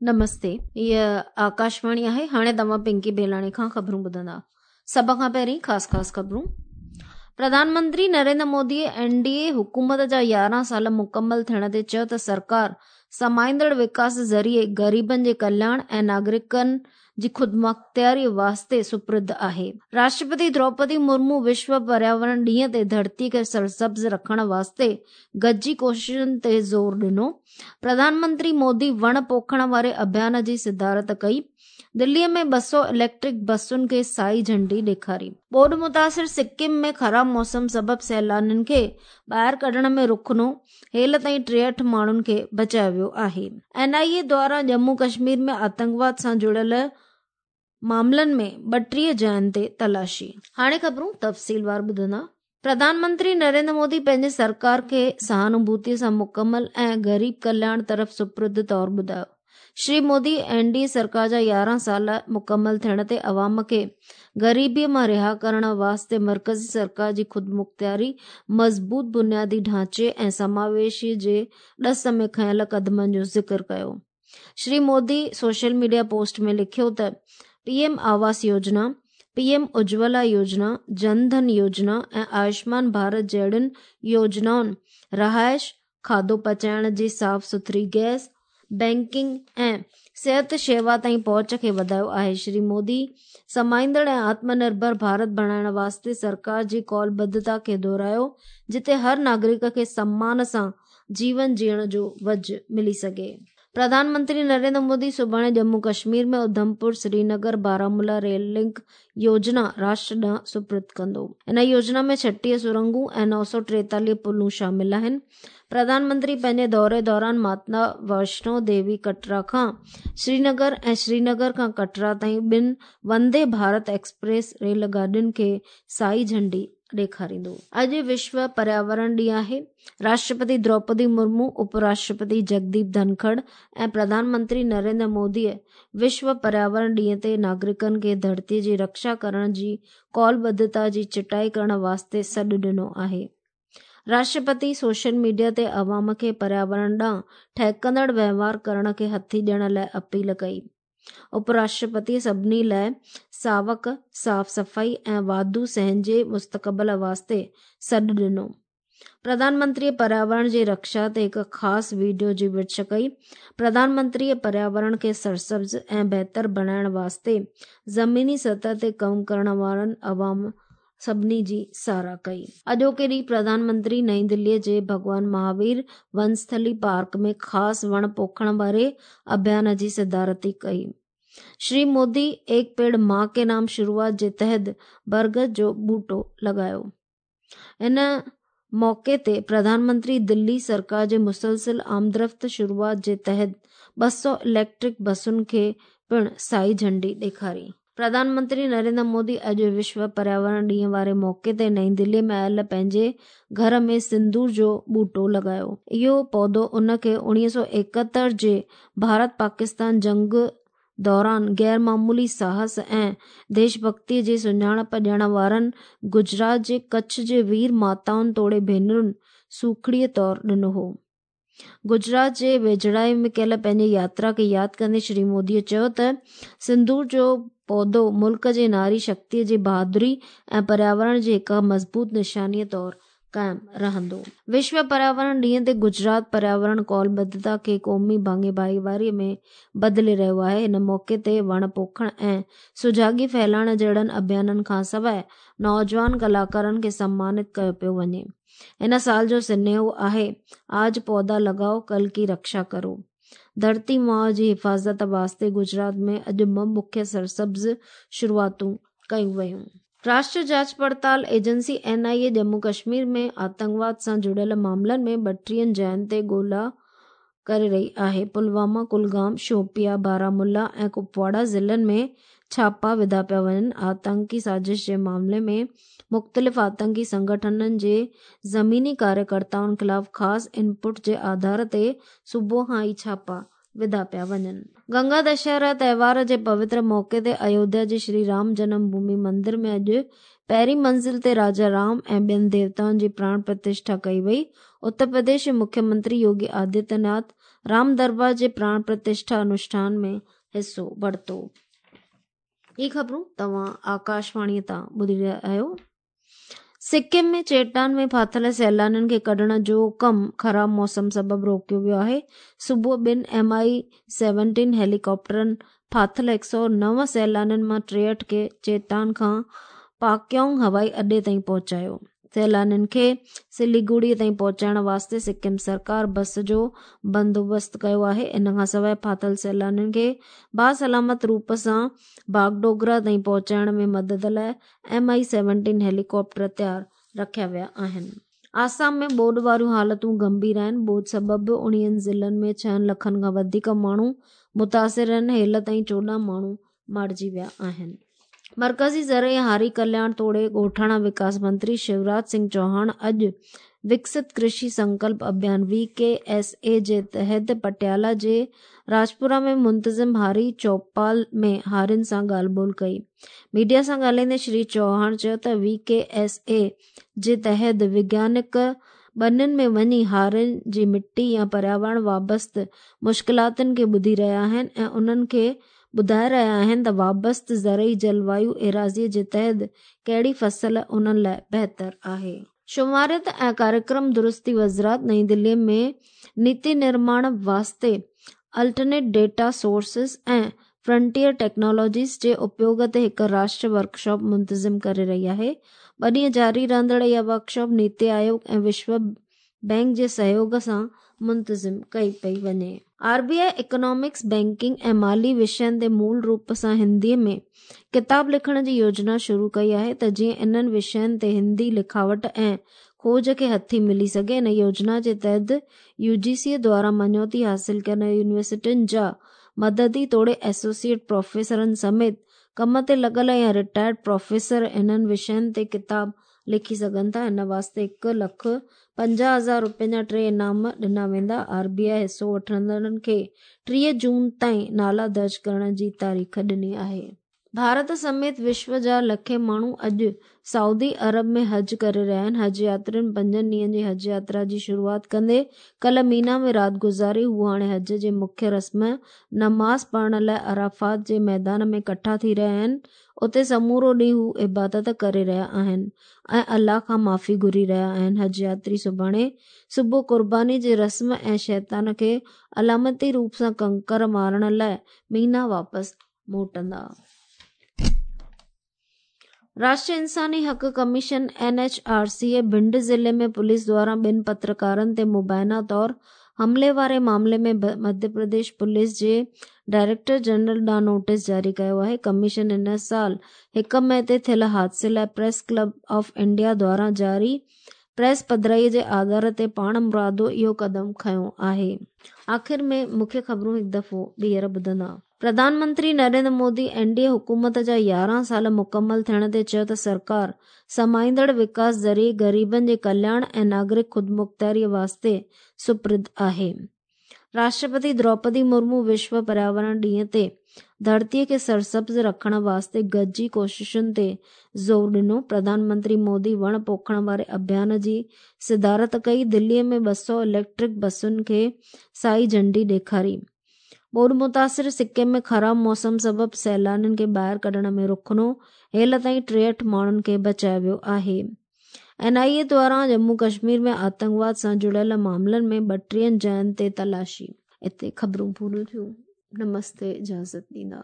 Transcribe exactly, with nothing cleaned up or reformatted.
نمستي، هيء آڪاشواڻي آهي. هاڻي توهان پنڪي بيلاڻي کان خبرون ٻڌندا. سڀ کان پهرين خاص خاص خبرون. پرڌان منتري نريندر مودي اين ڊي اي حڪومت جا يارهن سال مڪمل ٿيڻ تي چيو ته سرڪار سمائيندڙ وڪاس ذريعي غريبن جي ڪلياڻ ۽ ناگرڪن جي خودمختياري واسطي سپرد آهي. راشٽرپتي دروپدي مرمو وشو پرياورڻ ڏينهن تي ڌرتي کي سرسبز رکڻ واسطي گڏجي ڪوششن تي زور ڏنو. پرڌان منتري مودي وڻ پوکڻ واري اڀيان جي صدارت ڪئي. دلي ۾ ٻه سؤ اليڪٽرڪ بسن کي سائي جهنڊي ڏيکاري. ٻوڏ متاثر سڪم ۾ خراب موسم سبب سيلانين کي ٻاهر ڪڍڻ ۾ رخنو، هيل تائين ٽيهٺ ماڻهن کي بچايو ويو آهي. اين آء اي دواران ڄمون ڪشمير ۾ آتنڪواد سان جڙيل معاملن ۾ ٻٽيهه جاين تي تلاشي. هاڻي خبرون تفصيلوار ٻڌندا. پرڌان منتري نريندر مودي پنهنجي سرڪار کي سهانوڀوتي سان مڪمل ۽ غريب ڪلياڻ طرف سپرد طور ٻڌايو. شري مودي اين ڊي اي سرڪار جا يارهن سال مڪمل ٿيڻ تي عوام کي غريبي مان رها ڪرڻ واسطي مرڪزي سرڪار جي خودمختياري، مضبوط بنيادي ڍانچي ۽ سماويشي جي ڏس ۾ کنيل قدمن جو ذڪر ڪيو. Shri Modi social media post ۾ لکيو ته P M Awas Yojana, P M Ujjwala Yojana, Jan Dhan Yojana ۽ Ayushman Bharat جهڙين يوجنائن رهائش، کاڌو پچائڻ جي صاف سٿري گئس، بينڪنگ ۽ صحت شيوا تائين پهچ کي وڌايو آهي. شري مودي سمائيندڙ ۽ آتم نرڀر ڀارت بڻائڻ واسطي سرڪار جي قولبڌتا کي دهرايو، جتي هر ناگرڪ کي سمان سان جيون جيئڻ جو وجهه ملي سگهي. پرڌان منتري نريندر مودي سڀاڻي ڄمون ڪشمير ۾ اڌمپور سرينگر بارامولا ريل لنڪ يوجنا راشٽر ڏانهن سپرد ڪندو. ان يوجنا ۾ ڇٽيهه سرنگون ۽ نو سؤ ٽيتاليهه پلون شامل آهن. پرڌان منتري پنهنجي دوري دوران ماتا ويشنو ديوي ڪٽرا کان سرينگر ۽ سرينگر کان ڪٽرا تائين ٻن وندي ڀارت ايڪسپريس ريل گاڏين کي سائي جهنڊي ڏيکاريندو. اڄ وشو پرياورڻ ڏينهن آهي. راشٽرپتي دروپدي مرمو، اپ راشٽرپتي جگديپ ڌنکڙ ۽ پرڌان منتري نريندر موديءَ وشو پرياورڻ ڏينهن تي ناگرڪن کي ڌرتيءَ جي رڪشا ڪرڻ جي قولبڌتا جي چٽائي ڪرڻ واسطي سڏ ڏنو آهي. راشٽرپتي سوشل ميڊيا تي عوام کي پرياورڻ ڏانهن ٺهڪندڙ وهنوار ڪرڻ کي هٿي ڏيڻ لاءِ اپيل ڪئي. اپ راشٽرپتي سڀني لاءِ ساوڪ، صاف صفائي ۽ واڌو سهنجي مستقبل واسطي سڏ ڏنو. پرڌان منتري پرياورڻ جي رڪشا تي هڪ خاص وڊيو جي ورڇ ڪئي. پرڌان منتري پرياورڻ کي سرسبز ۽ بهتر بڻائڻ واسطي زميني سطح تي ڪم ڪرڻ وارن عوام سڀني جي ساراهه ڪئي. اڄوڪي ڏينهن پرڌان منتري نئين دلي جي ڀڳوان مهاوير ونسٿلي پارڪ ۾ خاص وڻ پوکڻ واري اڀيان جي صدارت ڪئي. شري مودي ايڪ پيڙ مان ڪي نام شروعات جي تحت برگد جو ٻوٽو لڳايو. ان موقعي تي پرڌان منتري دلي سرڪار جي مسلسل آمدرفت شروعات جي تحت ٻه سؤ اليڪٽرڪ بسن کي پڻ سائي جهنڊي ڏيکاري. پرڌان منتري نريندر مودي اڄ وشو پرياورڻ ڏينهن واري موقعي تي نئين دلي ۾ آيل پنهنجي گهر ۾ سندور جو ٻوٽو لڳايو. اهو پوڌو ان کي اڻويهه سؤ ايڪهتر جي ڀارت پاڪستان جنگ دوران غير معمولي ساهس ۽ ديش ڀڳتيءَ جي سڃاڻپ ڏيڻ وارن گجرات جي ڪڇ جي وير ماتائن توڙي ڀينرن سوکڙيءَ طور ڏنو هو. گجرات جي ويجهڙائي ۾ ڪيل پنهنجي ياترا کي ياد ڪندي شري موديءَ چيو ته سندور جو پوڌو ملڪ جي ناري شڪتيءَ جي بهادري ۽ پرياورڻ جي هڪ مضبوط نشانيءَ طور قائم رهندو. وشو پرياورڻ ڏينهن تي گجرات پرياورڻ قولبڌتا کي قومي ڀاڱي ڀائيواريءَ ۾ بدلي رهيو آهي. ان موقعي تي وڻ پوکڻ ۽ سجاڳي ڦهلائڻ جهڙن اڀيانن کان سواءِ نوجوان ڪلاڪارن کي سمانت ڪيو پيو وڃي. هن سال جو سنيهو آهي آج پوڌا لڳائو ڪل ڪي رڪشا ڪرو. ڌرتي ماءُ جي حفاظت واسطي گجرات ۾ اڄ ٻه مکيه سرسبز شروعاتون ڪيون ويون. راشٽر جاچ پڙتال ايجنسي اين آءِ اي ڄمون ڪشمير ۾ آتنڪواد سان جڙيل معاملن ۾ ٻٽيهن جاين تي ڳولا ڪري رهي آهي. پلواما، ڪلگام، شوپيان، بارامولا ۽ ڪپواڙا ضلعن ۾ ڇاپا وڌا پيا وڃن. آتنڪي سازش جي معاملي ۾ مختلف آتنڪي سنگٺنن جي زميني ڪاريڪرتائن خلاف خاص انپٽ جي آڌار تي صبح کان ئي ڇاپا وڌا پيا وڃن. گنگا دشهرا تهوار جي پوتر موقعي تي ايوڌيا جي شري رام جنم ڀومي مندر ۾ اڄ پهرين منزل تي راجا رام ۽ ٻين ديوتائن جي پراڻ پرتشٺا ڪئي وئي. اتر پرديش جي مکيه منتري يوگي آدتيه ناٿ رام دربار جي پراڻ پرتشٺا انوشٺان ۾ حصو ورتو. هي خبرون توهان آڪاشواڻيء تان ٻڌي رهيا آهيو. سڪم ۾ چيٽان ۾ ڦاٿل سيلانين کي ڪڍڻ جو ڪم خراب موسم سبب روڪيو ويو آهي. صبح ٻن ايم I seventeen هيليڪاپٽرن ڦاٿل هڪ سؤ نو سيلانين مان ٽيهٺ کي چيٽان کان پاڪيونگ هوائي اڏي تائين پهچايو. سيلانين کي سليگوڙي تائين پهچائڻ واسطي سڪم سرڪار بس جو بندوبست ڪيو آهي. ان کان سواء ڦاٿل سيلانين کي باسلامت روپ سان باگڊوگرا تائين پهچائڻ ۾ مدد لاء ايم I seventeen helicopter تيار رکيا ويا آهن. آسام ۾ ٻوڏ واريون حالتون گنڀير آهن. ٻوڏ سبب اڻويهن ضلعن ۾ ڇهن لکن کان وڌيڪ ماڻهو متاثر آهن. هيل تائين چوڏهن ماڻهو مارجي ويا آهن. مرڪزي زرعي هاري ڪلياڻ توڙي ڳوٺاڻا وڪاس منتري شيوراج سنگهه چوهاڻ اڄ وڪست ڪرشي سنڪلپ اڀيان وي ڪي ايس اي جي تحت پٽيالا جي راجپورا ۾ منتظم هاري چوپال ۾ هارين سان ڳالهه ٻولهه ڪئي. ميڊيا سان ڳالهائيندي شري چوهاڻ چيو ته وي ڪي ايس اي جي تحت وگيانڪ ٻنين ۾ وڃي هارين جي مٽي يا پرياورڻ وابسته مشڪلاتن کي ٻڌي رهيا آهن ۽ انهن کي ٻڌائي رهيا آهن ته وابسته زرعي جلوايو ايراضيء جي تحت ڪهڙي فصل انهن لاء بهتر آهي. شماريت ۽ ڪاريڪرم درستي وزارت نئين دلي ۾ نيتي نرماڻ واسطي alternate data sources ۽ frontier technologies جي اپيوگ تي هڪ راشٽريه ورڪشاپ منتظم ڪري رهي آهي. ٻه ڏينهن جاري رهندڙ اها ورڪشاپ نيتي آيوگ ۽ وشو بينڪ جي سهيوگ سان منتظم ڪئي پئي وڃي. R B I economics, banking ۽ مالي وشين تي مول روپ سان هنديء ۾ ڪتاب لکڻ جي يوجنا شروع ڪئي آهي ته جيئن انهن وشين تي هندي لکاوٽ ۽ کوج کي هٿي ملي سگهي. ان يوجنا جي تحت يو جي سيء دواران مڃوتي حاصل ڪيل يونيورسٽين جا مددي توڙي ايسوسيئيٽ پروفيسرن سميت ڪم تي لڳل يا رٽائرڊ پروفيسر انهن وشين تي ڪتاب لکي سگهن ٿا. ان واسطي هڪ لک پنجاهه هزار رپين جا ٽي انعام ڏنا ويندا. آر بي آء حصو وٺندڙن کي ٽيهه جون تائين نالا درج ڪرڻ جي تاريخ ڏني آهي. ڀارت سميت وشو جا لکين ماڻهو اڄ سعودي عرب ۾ حج ڪري رهيا آهن. حج ياترين پنجن ڏينهن جي حج ياترا جي شروعات ڪندي ڪلهه مينا ۾ رات گذاري. هو هاڻي حج جي مکيه رسم نماز پڙهڻ لاء عرفات جي ميدان ۾ ڪٺا ٿي رهيا آهن. اتي سمورو ڏينهن هو عبادت ڪري رهيا آهن ۽ الله کان معافي گهري رهيا آهن. حج ياتري سڀاڻي صبح قرباني جي رسم ۽ شيطان کي علامتي روپ سان ڪنڪر مارڻ لاء مينا واپس موٽندا. راشٽريه انساني حق commission N H R C ڀنڊ ضلعي ۾ پوليس دواران ٻن پترڪارن تي مبينا طور حملي واري معاملي ۾ مڌيه پرديش پوليس جي ڊائريڪٽر جنرل ڏانهن نوٽيس جاري ڪيو آهي. ڪميشن هن سال هڪ مئي تي ٿيل حادثي لاء پريس ڪلب آف انڊيا دواران جاري پريس پڌرائي جي آڌار تي پاڻمرادو اهو قدم کنيو آهي. آخر ۾ مکيه خبرون هڪ دفعو ٻيهر ٻڌندا. پرڌان منتري نريندر مودي اين ڊي اي حڪومت جا يارهن سال مڪمل ٿيڻ تي چيو ته سرڪار سمائيندڙ وڪاس ذريعي غريبن جي ڪلياڻ ۽ ناگرڪ خودمختياري واسطي سپرد آهي. راشٽرپتي دروپدي مرمو وشو پرياورڻ ڏينهن تي ڌرتيء کي سرسبز رکڻ واسطي گڏجي ڪوششن تي زور ڏنو. پرڌان منتري مودي وڻ پوکڻ واري اڀيان جي صدارت ڪئي. دليء ۾ ٻه سؤ اليڪٽرڪ بسن کي سائي جهنڊي ڏيکاري. ٻوڏ متاثر سڪم ۾ خراب موسم سبب سيلانين کي ٻاهر ڪڍڻ ۾ رخنو، هيل تائين ٽيهٺ ماڻهن کي بچايو ويو آهي. اين آء اي دواران ڄمون ڪشمير ۾ آتنڪواد سان جڙيل معاملن ۾ ٻٽيهن جاين تي تلاشي. اتي خبرون پوريون ٿيون. نمستي، اجازت ڏيندا.